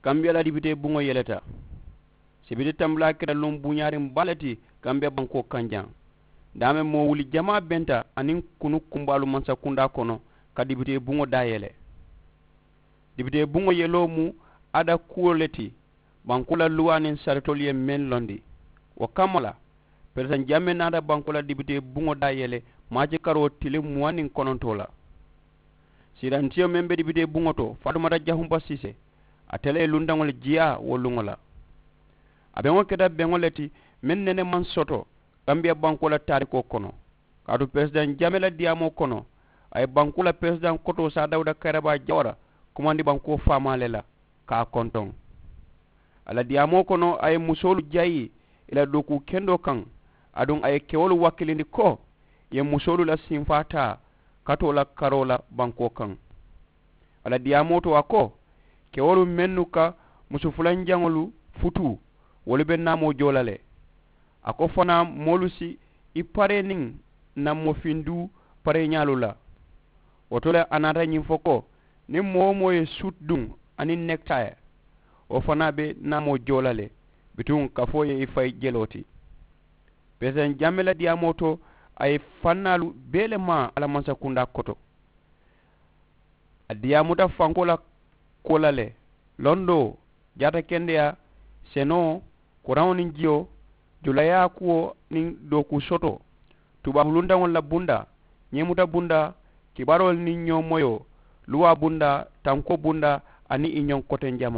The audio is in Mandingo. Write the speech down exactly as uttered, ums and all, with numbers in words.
Kambiya la dibitee buŋo yeleta. Sibiti tambulaa keta luŋ buuñaariŋ baa le ti kambiya bankoo kaŋ jaŋ. Daameŋ moo wuli jamaa benta aniŋ kunu kumbaalu mansakundaa kono ka dibitee buŋo daa yele. Dibitee buŋo yeloo mu aada kuwo le ti. Bankoo la luwaa niŋ saritoolu ye meŋ londi, wo kamma la perezidaŋ jammee naata bankoo la dibitee buŋo daa yele maaci karoo tiliŋ muwaŋ niŋ konontoo la. Siirantiyo meŋ be dibitee buŋo to faatumata jahumpa siise, ate le ye lundaŋo le jiyaa wo luŋo la. A beŋo keta beŋo le ti meŋ nene maŋ soto kambiya bankoo la taarikoo kono. Kaatu perezidaŋ jammee la diyaamoo kono, a ye bankoo la perezidaŋ kotoo saa dawuda kayirabaa jawara kumandi bankoo faamaa le la ka a kontoŋ. A la diyaamoo kono a ye musoolu jayi ì la dookuu kendoo kaŋ, aduŋ a ye kewolu wakkilindi ko ì ye musoolu la sinfaa taa katoo la karoo la bankoo kaŋ. A la diyaamoo to a ko, kewolu mennu ka musu fulanjaŋolu futuu, wolu be naamoo joo la le. A ko fanaa moolu si i paree niŋ nammoo finduu pareeñaalu la. Wo to le a naata ñiŋ fo ko, niŋ moo-wo-moo ye suut duŋ aniŋ nekitaye, wo fanaa be naamoo joo la le. Bituŋ kafoo ye i fayi jeloo ti. Perezidaŋ jammee la diyaamoo to, a ye fannaalu bee le maa a la mansakundaa koto. A diyaamuta fankoo la kuwo la le. Londoo, jaatakendeyaa, senoo, kuraŋo niŋ jiyo, julayaa kuwo niŋ dookuu sotoo, tubaabu luntaŋolu la bundaa, ñeemuta bundaa, kibaaroolu niŋ ñoo moyoo, luwaa bundaa, tankoo bundaa, aniŋ ì ñoŋ kotenjamaa.